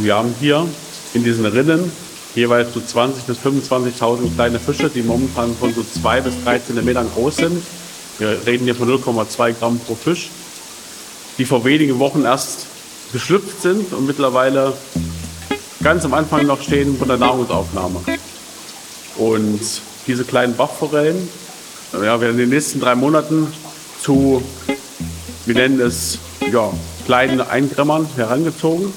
Wir haben hier in diesen Rinnen jeweils so 20 bis 25.000 kleine Fische, die momentan von so zwei bis drei Zentimetern groß sind. Wir reden hier von 0,2 Gramm pro Fisch, die vor wenigen Wochen erst geschlüpft sind und mittlerweile ganz am Anfang noch stehen von der Nahrungsaufnahme. Und diese kleinen Bachforellen ja, werden in den nächsten drei Monaten zu, wir nennen es ja, kleinen Eingrämmern herangezogen.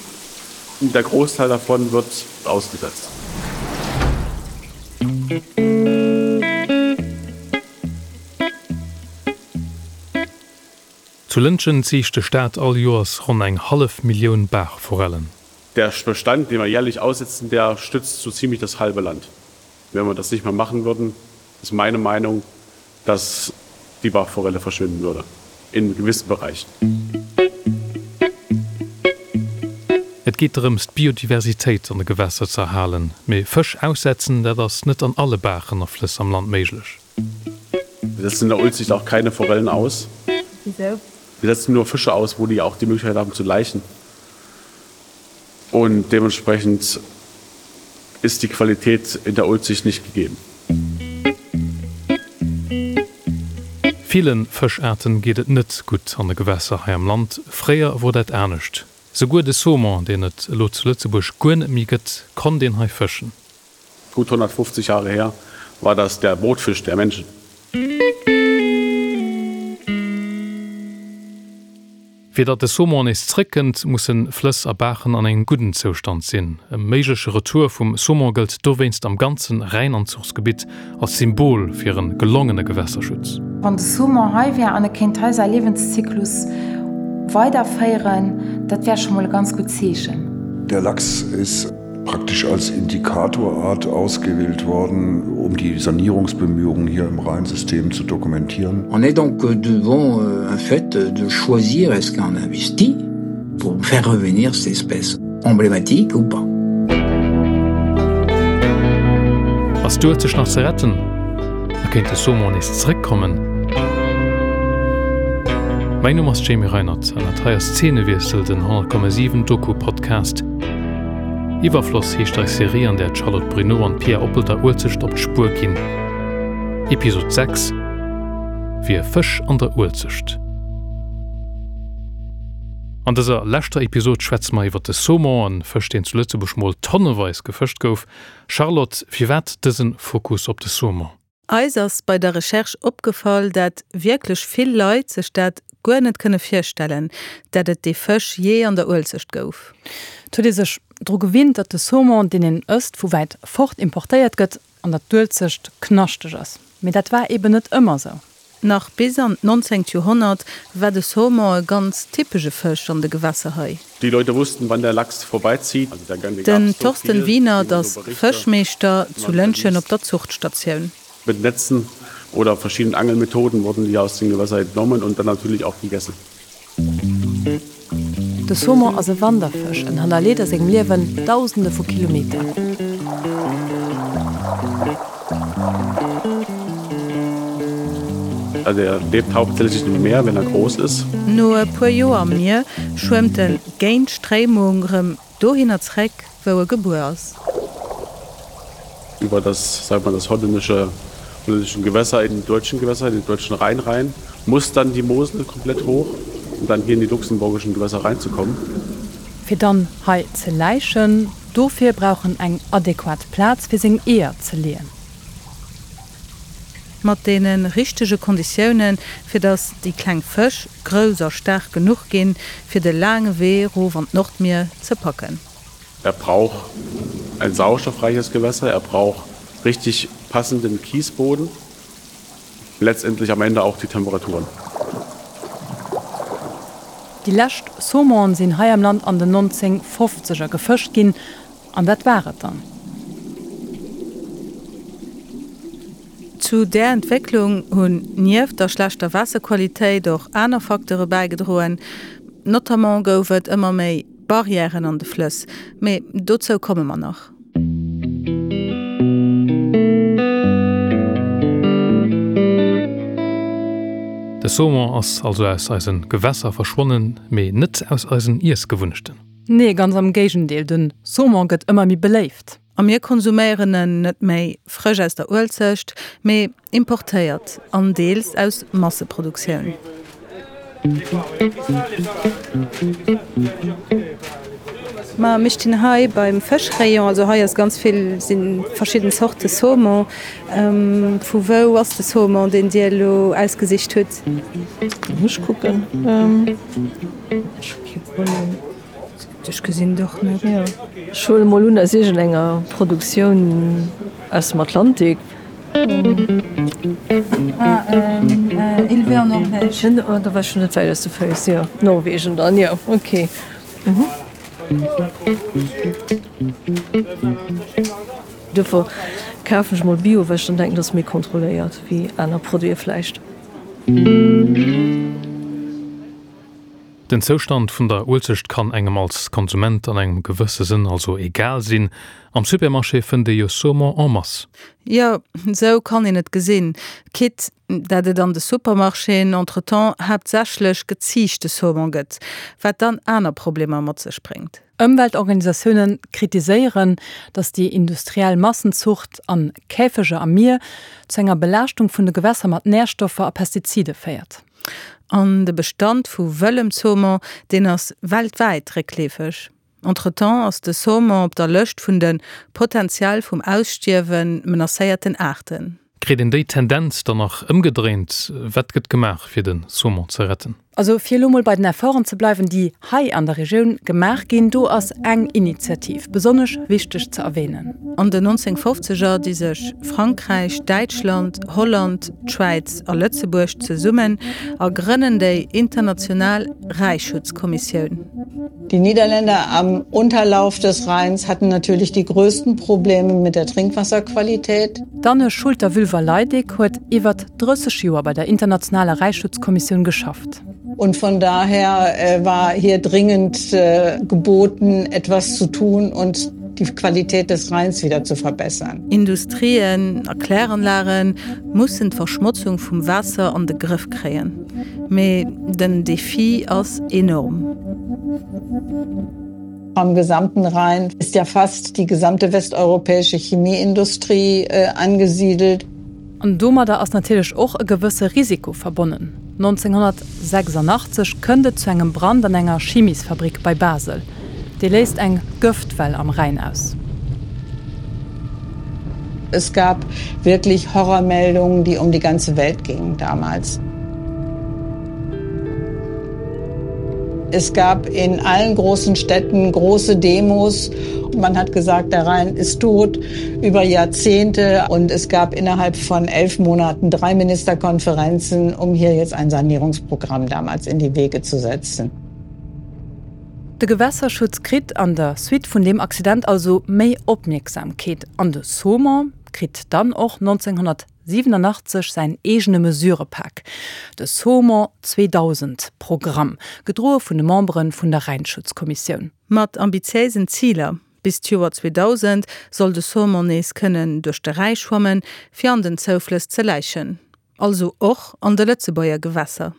Und der Großteil davon wird ausgesetzt. Zu Lëntgen ziicht de Staat all Joers ronn eng hallef Millioun Baachforellen. Der Bestand, den wir jährlich aussetzen, der stützt so ziemlich das halbe Land. Wenn wir das nicht mehr machen würden, ist meine Meinung, dass die Bachforelle verschwinden würde in gewissen Bereichen. Et geet drëms, d'Biodiversitéit an de Gewässer ze erhalen. Mee Fësch aussetzen, dat ass net an alle Baachen a Flëss am Land méiglech. Wir setzen in der Ulzicht auch keine Forellen aus. Wieso? Wir setzen nur Fische aus, wo die auch die Möglichkeit haben zu laichen. Und dementsprechend ist die Qualität in der Ulzicht nicht gegeben. Ville Fëschaarten geet et net gutt an de Gewässer hei am Land. Fréier wor dat anescht. Souguer de Saumon, deen et elo zu Lëtzebuerg guer net méi gëtt, konnt een hei fëschen. Gut 150 Jahre her war das der Brotfisch der Menschen. Fir datt de Saumon nees zréckkënnt, musse Flëss a Baachen an engem gudden Zoustand sinn. E méigleche Retour vum Saumon gëllt dowéinst am ganze Rhäinanzuchsgebitt als Symbol fir e gelongene Gewässerschutz. Wann de Saumon hei wär an e kéint hei säi Liewenszyklus weiderféieren, dat wär scho mol e ganz gutt Zeechen. Der Lachs ist praktisch als Indikatorart ausgewählt worden, um die Sanierungsbemühungen hier im Rheinsystem zu dokumentieren. On est donc devant un fait de choisir est-ce qu'on investit pour faire revenir cette espèce emblématique ou pas. Ass d'Uelzecht nach ze retten? A kéint de Saumon nees zeréckkommen? Mäin Numm ass Jamie Reinert an dat hei ass Zeenewiessel, den 100,7 Doku-Podcast. Iwwerfloss heescht eis Serie, an där d'Charlotte Bruneau an d'Pia Oppel der Uelzecht op d'Spuer ginn. Episod 6, Wier Fësch an der Uelzecht. An dëser leschter Episod schwätze mer iwwer de Saumon, e Fësch deen zu Lëtzebuerg mol tonneweis gefëscht gouf. Charlotte, firwat dëse Fokus op de Saumon? Eis ass bei der Recherche opgefall, dat wierklech vill Leit sech dat guer net kënne virstellen, dat et dee Fësch jee an der Uelzecht gouf. Et huet ee sech dru gewinnt, datt de Saumon, deen een ësst, vu wäit fort importéiert gëtt an datt d'Uelzecht knaschteg ass. Mee dat war eben net ëmmer sou. Nach bis an d'nonzéngt Joerhonnert war de Saumon e ganz typesche Fësch an de Gewässer hei. Die Leute wussten, wann der Lachs vorbeizieht. Den Thorsten Wienert ass Fëschmeeschter zu Lëntgen op der Zuchtstatioun. Mit Netzen oder verschiedenen Angelmethoden wurden die aus den Gewässer entnommen und dann natürlich auch gegessen. De Saumon ass e Wanderfësch, en hannerleet a sengem Liewen Dausende vu Kilometer. Also er lebt hauptsächlich im Meer, wenn er groß ist. No e puer Joer am Mier schwëmmt en géint d'Stréimung rëm dohinner zréck, wou e gebuer ass. Über das, sag mal, das holländische holländischen Gewässer in die deutschen Gewässer, in den deutschen Rhein rein, muss dann die Mosel komplett hoch, um dann hier in die luxemburgischen Gewässer reinzukommen. Fir dann hei ze läichen. Dofir brauch en eng adequat Plaz fir seng Eeër ze leeën. Mat deene richtege Konditiounen, fir datt déi kleng Fësch grouss a staark genuch ginn, fir de laange Wee rof an d'Nordmier ze packen. Er brauch ein sauerstoffreiches Gewässer, er brauch richtig passenden Kiesboden, letztendlich am Ende auch die Temperaturen. Déi lescht Saumonen sinn hei am Land an den 1950er gefëscht ginn, an dat war et dann. Zu där Entwécklung hunn nieft der schlechter Waasserqualitéit och aner Facteure bäigedroen. Notamment gouf et ëmmer méi Barrièren an de Flëss, mee dozou komme mer nach. De Saumon ass also aus eise Gewässer verschwonnen, mee net aus eisen Iessgewunnechten. Nee, ganz am Géigendeel, de Saumon gëtt ëmmer méi beléift. A mir konsuméieren en net méi frësch aus der Uelzecht, mee importéiert an deels aus Masseproduktioun. Ma mir stinn hei beim Fëschrayon, also hei ass ganz vill, si verschidden Zorte Saumon. Vu wou ass de Saumon, deen Dir elo ausgesicht hutt? Muss ech kucken. Ech hu kee Problem. Ech gesinn et och net. Jo, ech huele mol un aus iergendenger Produktioun aus dem Atlantik. Ah, élevé en Norvège. Oh, da war ech schon net wäit aus de Féiss. Jo, Norwegen dann, jo, ok. Duerfir kafen ech mol Bio, well ech dann denken, dat ass méi kontrolléiert wéi aner Produite vläicht. Den Zoustand vun der Uelzecht kann engem als Konsument an engem gewësse Sënn also egal sinn. Am Supermarché fënnt ee jo Saumon en masse. Jo, sou kann een et gesinn, quitte dat et an de Supermarchéen entretemps haaptsächlech geziichte Saumon gëtt, wat dann aner Problemer mat sech bréngt. Ëmweltorganisatioune kritiséieren, datt déi industriell Massenzucht an Käfeger am Mier zu enger Belaaschtung vun de Gewässer mat Närstoffer a Pestizide féiert. An de Bestand vu wëllem Saumon, deen ass weltwäit réckleefeg. Entretemps ass de Saumon op der Lëscht vun de potentiell vum Ausstierwe menacéierten Aarten. Kritt een déi Tendenz dann nach ëmgedréint? Wat gëtt gemaach, fir de Saumon ze retten? Also fir elo mol bei den Efforten ze bleiwen, déi hei an der Regioun gemaach ginn, do ass eng Initiativ besonnesch wichteg ze erwähnen. An den 1950er di sech Frankräich, Däitschland, Holland, d'Schwäiz a Lëtzebuerg zesummen a grënnen déi international Räischutzkommissioun. Die Niederländer am Unterlauf des Rheins hatten natürlich die größten Probleme mit der Trinkwasserqualität. D'Anne Schulter-Wülver-Leidig huet iwwert 30 Joer bei der internationaler Räischutzkommissioun geschafft. Und von daher war hier dringend geboten, etwas zu tun und die Qualität des Rheins wieder zu verbessern. Industrien a Kläranlage mussen d'Verschmotzung vum Waasser an de Grëff kréien. Mee den Defi ass enorm. Am gesamten Rhein ist ja fast die gesamte westeuropäische Chemieindustrie angesiedelt. An domadder ass natierlech och e gewësse Risiko verbonnen. 1986 kënnt et zu engem Brand an enger Chimiesfabrik bei Basel. Dee léist eng Gëftwell am Rhäin aus. Es gab wirklich Horrormeldungen, die um die ganze Welt gingen damals. Es gab in allen großen Städten große Demos. Man hat gesagt, der Rhein ist tot über Jahrzehnte und es gab innerhalb von elf Monaten drei Ministerkonferenzen, um hier jetzt ein Sanierungsprogramm damals in die Wege zu setzen. De Gewässerschutz kritt an der Suite vun deem Accident also méi Opmierksamkeet an de Saumon kritt dann och 1987 säin eegene Mesurepak, de Saumon 2000 Programm, gedroe vun de Membere vun der Rhäinschutzkommissioun. Mat ambitiéisen Ziler, Bis d'Joer 2000 soll de Saumon nees kënnen duerch de Rhäi schwammen, fir an den Zouflëss ze läichen. Also och an de Lëtzebuerger Gewässer.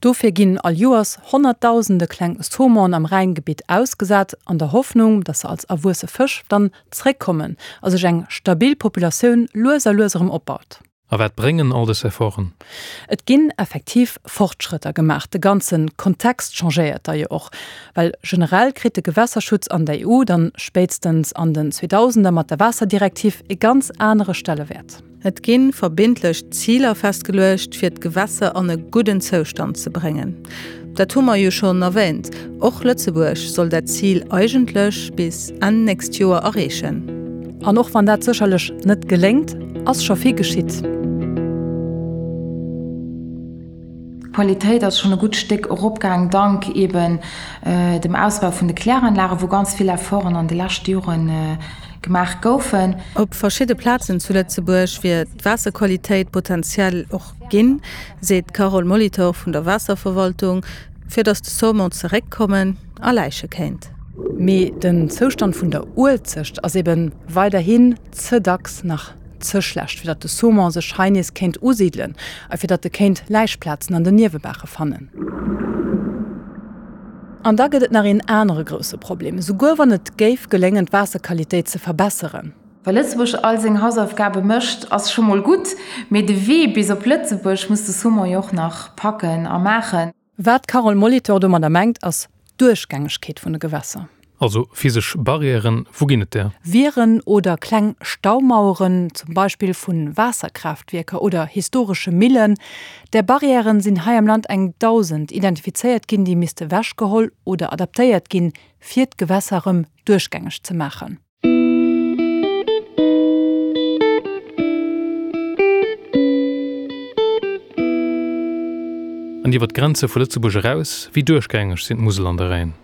Dofir ginn all Joers honnertdausende kleng Saumonen am Rhäingebitt ausgesat, an der Hoffnung, datt se als erwuesse Fësch dann zréckkommen a sech eng stabil Populatioun lues a lues erëm opbaut. A wat bréngen all dës Efforten? Et ginn effektiv Fortschrëtter gemaach. De ganze Kontext changéiert da jo och, well generell kritt de Gewässerschutz an der EU dann spéitstens an den Zweedausender mat der Waasserdirektiv e ganz anere Stellewäert. Et gi verbindlech Ziler festgeluecht, fir d'Gewässer an e gudden Zoustand ze bréngen. Dat hu mer jo schonn erwähnt. Och Lëtzebuerg soll dat Zil eigentlech bis Enn nächst Joer erreechen. An och wann dat sécherlech net geléngt, ass scho vill geschitt. D'Qualitéit ass schonn e gutt Stéck eropgaang, dank eeben dem Ausbau vun de Kläranlagen, wou ganz vill Efforten an de leschte Jore gemaach goufen. Op verschidde Plazen zu Lëtzebuerg wier d'Waasserqualitéit potentiell och ginn, seet d'Carole Molitor vun der Waasserverwaltung, fir datt de Saumon zeréckkommen a läiche kéint. Mee den Zoustand vun der Uelzecht ass ebe weiderhin ze dacks nach ze schlecht, fir datt de Saumon sech hei nees kéint usidelen a fir datt e kéint Läichplazen an den Niewebaache fannen. An da gëtt et nach een anere grousse Problem, Esouguer wann et géif geléngen, d'Waasserqualitéit ze verbesseren, Wa Lëtzebuerg all seng Hausaufgabe mécht, ass scho mol gutt, mee de Wee bis op Lëtzebuerg muss de Saumon jo och nach packen a maachen. Wat d'Carole Molitor domadder mengt, ass d'Duerchgängegkeet vun de Gewässer. Also physesch Barrièren, wou ginn et där? Wieren oder kleng Staumaueren, zum Beispill vu Waasserkraaftwierker oder historesche Millen. Där Barrièren sinn hei am Land eng 1.000 identifizéiert ginn, déi misste wechgeholl oder adaptéiert ginn, fir d'Gewässer erëm duerchgängeg ze maachen. An iwwer d'Grenze vu Lëtzebuerg eraus, wéi duerchgängeg sinn d'Musel an de Rhäin?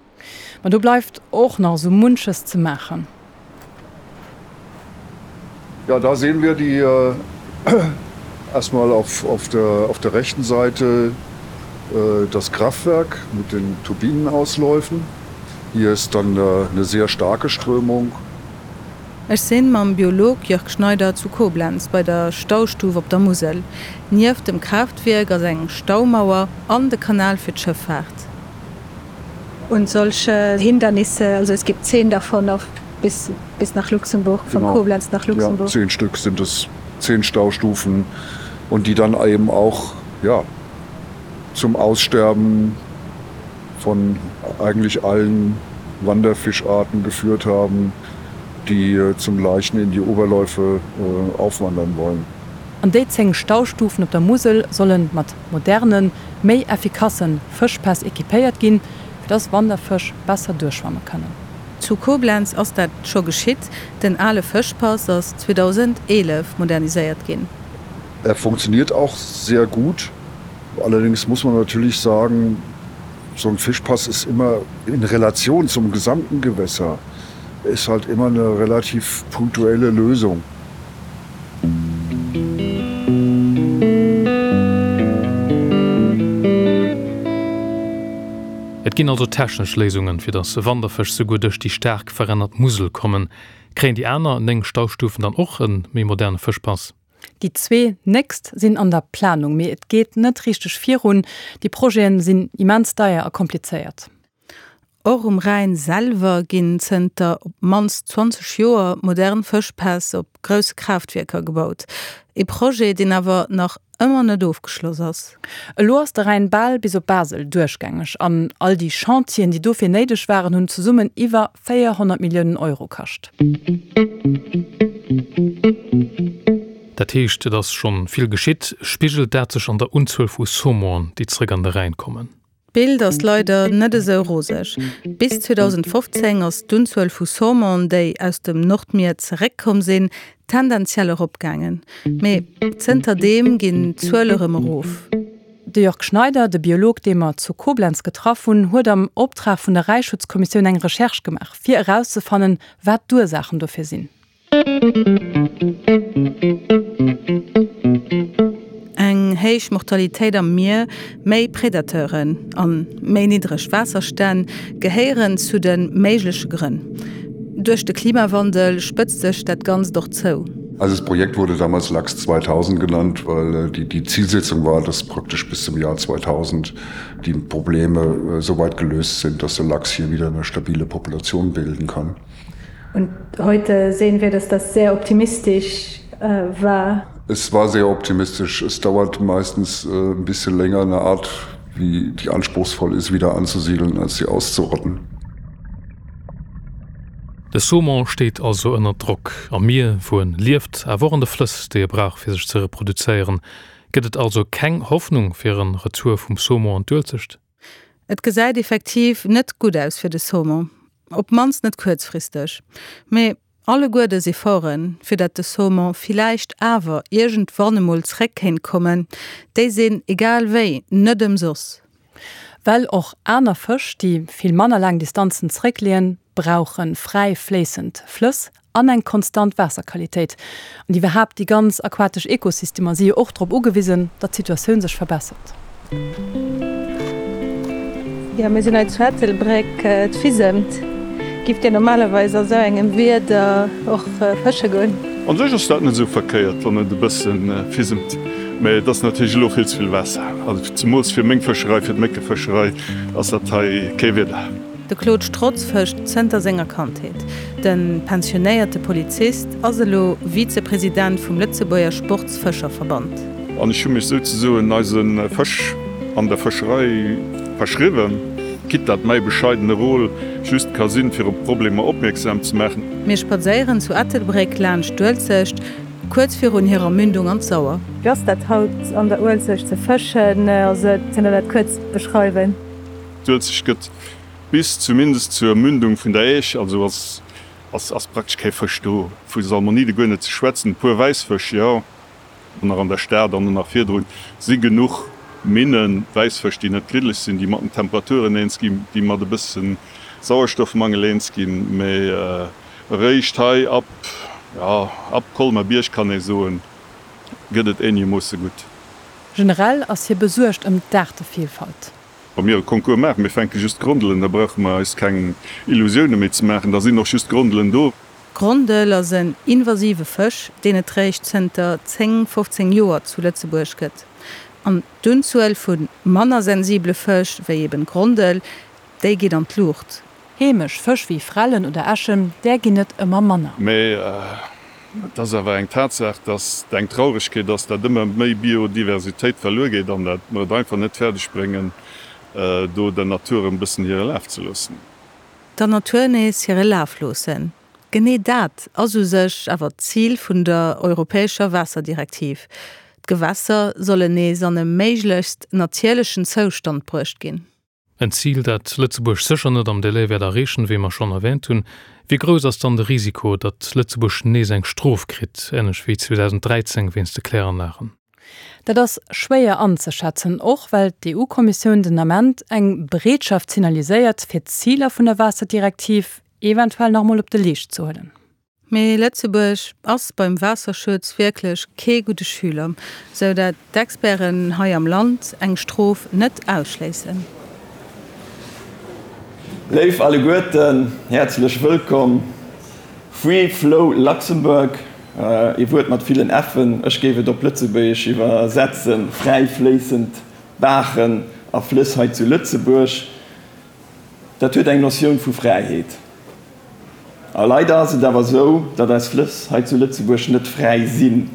Ma do bleift och nach esou munches ze maachen. Ja, da sehen wir die erstmal auf, auf, der, auf der rechten Seite äh, das Kraftwerk mit den Turbinenausläufen. Hier ist dann eine sehr starke Strömung. Ech sinn mam Biolog Jörg Schneider zu Koblenz bei der Staustuf op der Musel. Nieft dem Kraaftwierk ass eng Staumauer an de Kanal fir d'Schëffaart. Und solche Hindernisse, also es gibt zehn davon auf bis, bis nach Luxemburg, von genau. Koblenz nach Luxemburg. Ja, zehn Stück sind es, zehn Staustufen und die dann eben auch ja, zum Aussterben von eigentlich allen Wanderfischarten geführt haben, die äh, zum Leichen in die Oberläufe äh, aufwandern wollen. An déi 10 Staustufen op der Musel solle mat modernen, méi effikasse Fëschpäss equipéiert ginn, fir dass Wanderfësch besser duerchschwamme kënnen. Zu Koblenz ass dat scho geschitt, den ale Fëschpass ass 2011 moderniséiert ginn. Er funktioniert auch sehr gut. Allerdings muss man natürlich sagen, so ein Fischpass ist immer in Relation zum gesamten Gewässer ist halt immer eine relativ punktuelle Lösung. Et ginn also technesch Léisungen, fir datt Wanderfësch souguer duerch déi staark verännert Musel kommen. Kréien déi aner 9 Staustufen dann och e méi moderne Fëschpass? Déi zwee nächst sinn an der Planung, mee et geet net richteg virun. Déi Projete sinn immens deier a komplizéiert. Och um Rhäin selwer ginn zënter op d'mannst 20 Joer modern Fëschpäss op grousse Kraaftwierker gebaut. E Projet, deen awer nach ëmmer net ofgeschloss ass. Elo ass de Rhäin bal bis op Basel duerchgängeg an all déi Chantieren, déi dofir néideg waren, hunn zesummen iwwer 400 Milliounen Euro kascht. Dat heescht, et ass schonn vill geschitt. Spigelt dat sech an der Unzuel vu Saumonen, déi zréck an de Rhäin kommen? D'Bild ass leider net esou roseg. Bis 2015 ass d'Unzuel vu Saumon, déi aus dem Nordmier zeréckkomm sinn, tendenziell eropgaangen. Mee zënterdeem ginn d'Zuele rëm erof. De Jörg Schneider, de Biolog, dee mer zu Koblenz getraff hunn, huet am Optrag vun der Räischutzkommissioun eng Recherche gemaach, fir erauszefannen, wat d'Ursaachen dofir sinn. Eng héich Mortalitéit am Mier, méi Predateuren an méi niddreg Waasserstänn gehéieren zu de méigleche Grënn. Duerch de Klimawandel spëtzt sech dat Ganzt och zou. Also das Projekt wurde damals Lachs 2000 genannt, weil äh, die, die Zielsetzung war, dass praktisch bis zum Jahr 2000 die Probleme äh, so weit gelöst sind, dass der Lachs hier wieder eine stabile Population bilden kann. Und heute sehen wir, dass das sehr optimistisch äh, war. Es war sehr optimistisch. Es dauert meistens äh, ein bisschen länger, eine Art, wie die anspruchsvoll ist, wieder anzusiedeln, als sie auszurotten. De Saumon steet also ënner Drock, am Mier, wou en lieft, awer och an de Flëss, déi e brauch fir sech ze reproduzéieren. Gëtt et also keng Hoffnung fir en Retour vum Saumon an d'Uelzecht? Et gesäit effektiv net gutt aus fir de Saumon, op d'mannst net kuerzfristeg. Mee alleguer dës Efforten, fir dat de Saumon villäicht awer iergendwann emol zréck kéint kommen, déi sinn egal wéi net ëmsoss. Well och aner Fësch, déi vill manner laang Distanzen zeréckleeën, brauche fräi fléissend Flëss an eng konstant Waasserqualitéit. An iwwerhaapt déi ganz aquatesch Ekosystemer si jo och drop ugewisen, datt d'Situatioun sech verbessert. Jo, mir sinn hei zu Ettelbréck. Et fisemt. Giff Dir normalerweis a sou engem Wieder och fësche goen? An sech ass dat net esou verkéiert, wann et e bësse fisemt. Mä et ass natierlech elo vill ze vill Waasser. Also zemools fir meng Fëscherei, fir d'Méckefëscherei ass dat hei kee Wieder. De Claude Strotz fëscht zënter senger Kandheet. De pensionéierte Polizist ass elo Vizepresident vum Lëtzebuerger Sportsfëscherverband. An ech hu mech souzesoen eise Fësch an der Fëscherei verschriwwen, quitte dat mäi bescheidene Rôle just ka sinn, fir op Problemer opmierksam ze maachen. Mir spadséieren zu Ettelbréck laanscht d'Uelzecht, kuerz virun hirer Mündung an d'Sauer. Wéi ass dat haut an der Uelzecht ze fëschen? Also kënnt der dat kuerz beschreiwen? D'Uelzecht gëtt bis zumindest zur Mündung vun der Äisch, also ass ass praktesch kee Fësch do. Vu Salmonide guer net ze schwätzen, e puer Wäissfësch, jo, nach an der Stad an nach virdrun si genuch Minnen, Wäissfësch, déi net griddeleg sinn, déi mat den Temperaturen eens ginn, déi mat e bësse Sauerstoffmangel eens ginn, mee eréischt hei ab, jo, ab Colmer-Bierg kann ee soen, gëtt et eenegermoosse gutt. Generell ass hie besuergt ëm d'Aartevielfalt. Wa mir e Concours maachen, mir fänke just d'Grondelen, da brauche mer eis keng Illusioune méi ze maachen, da sinn och just d'Grondelen do. D'Grondel ass en invasive Fësch, deen et réischt zënter 10, 15 Joer zu Lëtzebuerg gëtt. An d'Unzuel vu manner sensibele Fësch, wéi eben d'Grondel, déi geet an d'Luucht. Heemesch Fësch wéi Frellen oder Äschen, där ginn et ëmmer manner. Mee et ass awer eng Tatsaach, datt et eng Trauregkeet ass, datt ëmmer méi Biodiversitéit verluer geet an datt mer et einfach net fäerdeg bréngen, do der Natur e bëssen hire Laf ze loossen. Der Natur nees hire Laf loossen, genee dat ass u sech awer d'Zil vun der europäescher Waasserdirektiv. D'Gewässer sollen nees an e méiglechst natierlechen Zoustand bruecht ginn. En Zil, dat Lëtzebuerg sécher net am Délai wäert erreechen, wéi mer schonn erwähnt hunn. Wéi grouss ass dann de Risiko, datt Lëtzebuerg nees eng Strof kritt, änlech wéi 2013 wéinst de Kläranlagen? Dat ass schwéier anzeschätzen, och well d'EU-Kommissioun den Ament eng Bereetschaft signaliséiert, fir d'Ziler vun der Waasserdirektiv eventuell nach emol op de Leescht ze huelen. Mee Lëtzebuerg ass beim Waasserschutz wierklech kee gudde Schüler, sou dat d'Experten hei am Land eng Strof net ausschléissen. Léif alleguerten, häerzlech wëllkomm. Free Flow Luxembourg, ee Wuert mat villen F'en, ech géif et op Lëtzebuergesch iwwersetzen, fräi fléissend Baachen a Flëss hei zu Lëtzebuerg. Dat huet eng Notioun vu Fräiheet. A leider ass et awer esou, datt eis Flëss hei zu Lëtzebuerg net fräi sinn.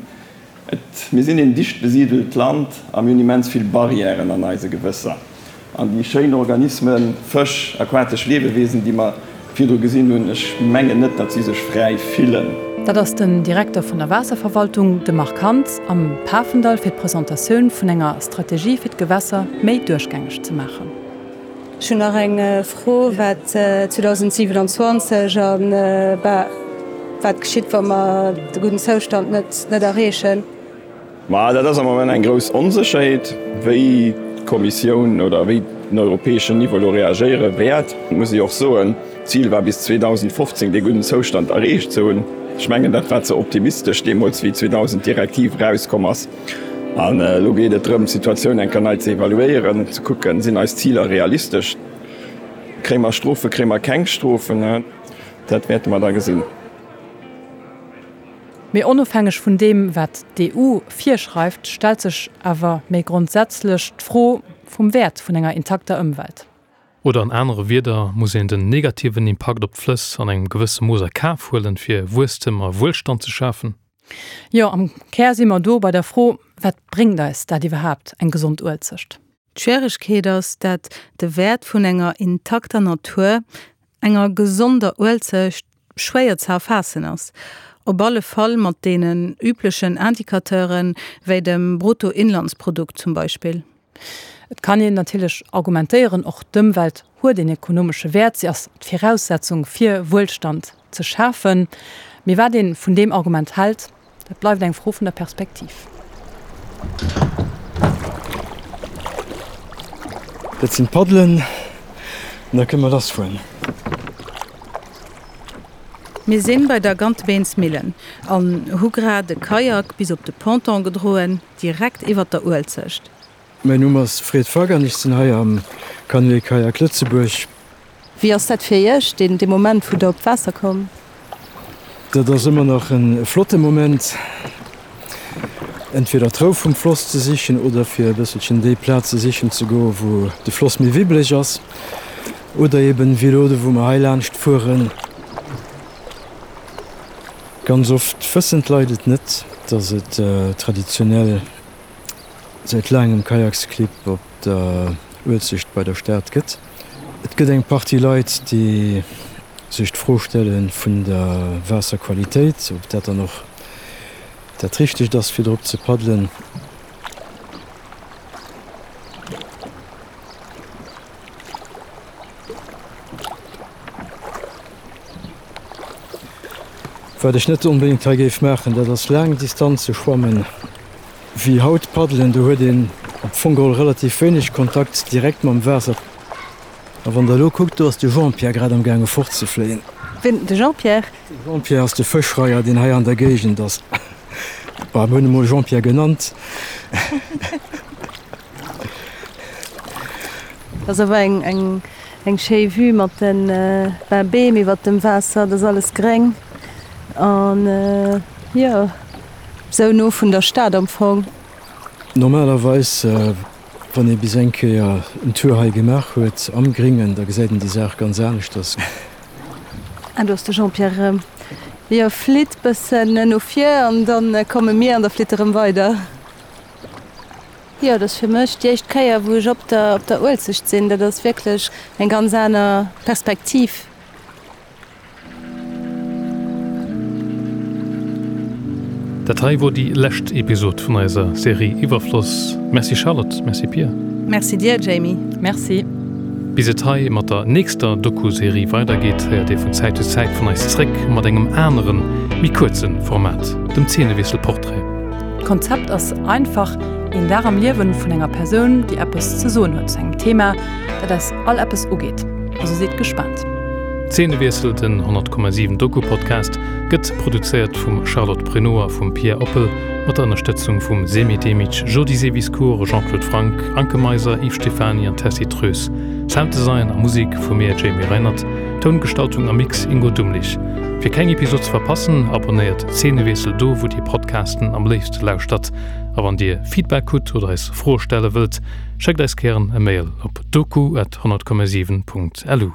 Et, mir sinn een dicht besidelt Land a mir hunn immens vill Barrièren an eise Gewësser. An déi schéin Organismen, Fësch, aquatesch Liewewiesen, déi mer virdru gesinn hunn, ech mengen net, datt si sech fräi fillen. Dat ass den Direkter vun der Waasserverwaltung, de Marc Hans, am Pafendall fir d'Presentatioun vun enger Strategie fir d'Gewässer méi duerchgängeg ze maachen. Ech hunn nach eng Fro, wat 2027 a wat geschitt, wa mer de gudden Zoustand net erreechen. Ma dat ass am Moment eng grouss Onsécherheet, wéi d'Kommissioun oder wéi den europäeschen Niveau elo reagéiere wäert. Et muss ee och soen, d'Zil war bis 2015 dee gudden Zoustand erreecht ze hunn. Ech mengen, dat war ze optimistesch deemools, wéi 2000 d'Direktiv erauskomm ass. An elo geet et drëm, d'Situatioun eng Kéier nei ze evaluéieren, ze kucken, Sinn eis Ziler realistesch? Kréie mer Strofen, kréie mer keng Strofen? Dat wäerte mer da gesinn. Mee onofhängeg vun deem, wat d'EU virschreift, stellt sech awer méi grondsätzlech d'Fro vum Wäert vun enger intakter Ëmwelt. Oder an anere Wierder, muss een den negativen Impakt op d'Flëss an engem gewësse Mooss a Kaf huelen, fir Wuesstem a Wuelstand ze schafen? Jo, am Kär si mer do bei der Fro, Wat bréngt eis dat iwwerhaapt, eng gesond Uelzecht? D'Schwieregkeet ass, dat de Wäert vun enger intakter Natur, enger gesonder Uelzecht, schwéier ze erfaassen ass. Op alle Fall mat deenen üblechen Indicateuren, wéi dem Bruttoinlandsprodukt zum Beispill. Et kann een natierlech argumentéieren, och d'Ëmwelt huet een ekonomesche Wäert, si ass d'Viraussetzung fir Wuelstand ze schafen. Mee wat ee vun deem Argument hält, dat bleift eng Fro vun der Perspektiv. Dat sinn d'Paddelen an da kënne mer lass fueren. Mir sinn bei der Gantebeensmillen an hu grad e Kajak bis op de Ponton gedroen, direkt iwwert der Uelzecht. Mäin Numm ass Fred Fack an ech sinn hei am Canoë Kayak Lëtzebuerg. Wéi ass dat fir Iech, deen dee Moment wou Der op d'Waasser kommt? Dat ass ëmmer nach e flotte Moment. entweder d'Rou vum Floss ze sichen oder fir e bësselchen déi Plaze sichen ze goen, wou de Floss méi wibbeleg ass oder eben wéi elo do, wou mer hei laanscht fueren. Ganz oft wëssen d'Leit et net, dass et traditionell säit laangem Kajaksclibb op der Uelzecht bei der Stad gëtt. Et gëtt eng Partie Leit, déi sech d'Fro stelle vun der Waasserqualitéit, ob dat dann och dat Richtegt ass, fir drop ze paddelen. Wat ech net onbedéngt hei géif maachen, dat ass laang Distanze schwammen. Wéi haut paddelen, do huet een am Fong geholl relativ wéineg Kontakt direkt mam Waasser. A wann der elo kuckt, do ass de Jean-Pierre grad am gaange fortzefléien. Wien, de Jean-Pierre? De Jean-Pierre ass de Fëschreier, deen hei an der Géigend ass. Bon, mir hunn e mol Jean-Pierre genannt. Dat ass awer eng eng schéi Vue mat den Beem iwwert dem Waasser, dat ass alles gréng an jo. Sou no vun der Stad am Fong. Normalerweis, wann ee bis eng Kéier en Tour hei gemaach huet am Gringen, da gesäit een déi Saach ganz aneschters. Ah, do ass de Jean-Pierre erëm. Jo, flitt bëssen no vir an dann komme mir an da flitt e rëm weider. Jo, dat ass fir mech déi éischt Kéier, wou ech op der op der Uelzecht sinn. Dat ass wierklech eng ganz aner Perspektiv. Dat hei wor déi lescht Episod vun eiser Serie Iwwerfloss. Merci Charlotte, merci Pia. Merci dir Jamie. Merci. Bis et hei mat der nächster Doku-Serie weidergeet, héiert dir vun Zäit zu Zäit vun eis zréck mat engem aneren, méi kuerze Format, dem Zeenewiessel Portrait. D'Konzept ass einfach, een Dag am Liewen vun enger Persoun, déi eppes ze soen huet zu engem Thema, dat eis all eppes ugeet. Also sidd gespaant. Zeenewiessel, den 100,7 Doku-Podcast, gëtt produzéiert vum Charlotte Prenot a vum Pierre Oppel, mat der Ënnerstëtzung vum Semih Demic, Jody Seviscourt, Jean-Claude Franck, Anke Meiser, Yves Stephany an Tessy Troes. Sounddesign a Musek vu mir, Jamie Reinert, Toungestaltung a Mix, Ingo Dumlich. Fir keng Episod ze verpassen, abonnéiert Zeenewiessel do, wou dir Podcasten am léifste lauschtert. A wann dir Feedback hutt oder eis Froe stelle wëllt, schéckt eis gären e Mail op doku at 100,7 Punkt lu.